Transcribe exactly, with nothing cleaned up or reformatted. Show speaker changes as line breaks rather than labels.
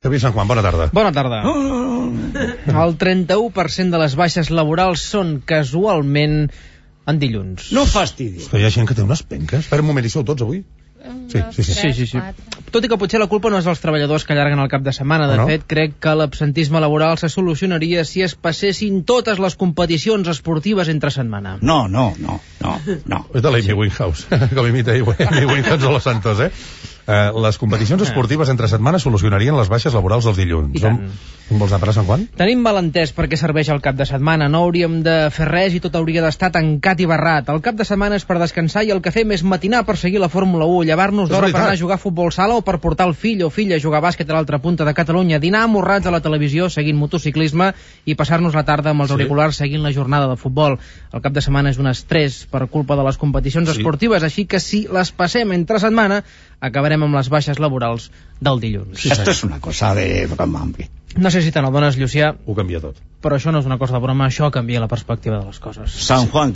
Xavier Sant Juan, bona tarda.
Bona tarda. El trenta-u per cent de les baixes laborals són casualment en dilluns.
No fastidis.
Hi ha gent que té unes penques. Espera un moment, hi sou tots avui? Sí, sí, sí.
Sí, sí, sí. Tot i que potser la culpa no és dels treballadors que allarguen el cap de setmana. De
no?
fet, crec que l'absentisme laboral se solucionaria si es passessin totes les competicions esportives entre setmana.
No, no, no, no, no.
És de l'Amy Winehouse, que l'imita Amy Winehouse o los Santos, eh? Uh, les competicions esportives entre setmanes solucionarien les baixes laborals dels dilluns.
I tant.
On vols anar a parar, Sant Juan?
Tenim malentès perquè serveix el cap de setmana. No hauríem de fer res i tot hauria d'estar tancat i barrat. El cap de setmana és per descansar i el que fem és matinar per seguir la Fórmula u, llevar-nos d'hora per anar a jugar a futbol sala o per portar el fill o filla a jugar a bàsquet a l'altra punta de Catalunya, dinar amorrats a la televisió seguint motociclisme i passar-nos la tarda amb els
Sí.
auriculars seguint la jornada de futbol. El cap de setmana és un estrès per culpa de les competicions
Sí.
esportives, així que si les passem entre setmana acabarem amb les baixes laborals del dilluns.
Sí,
Esto es una cosa de broma, hombre.
No sé si te n'adones, Llucià,
Ho canvia tot.
però això no és una cosa de broma, això canvia la perspectiva de les coses.
San Juan.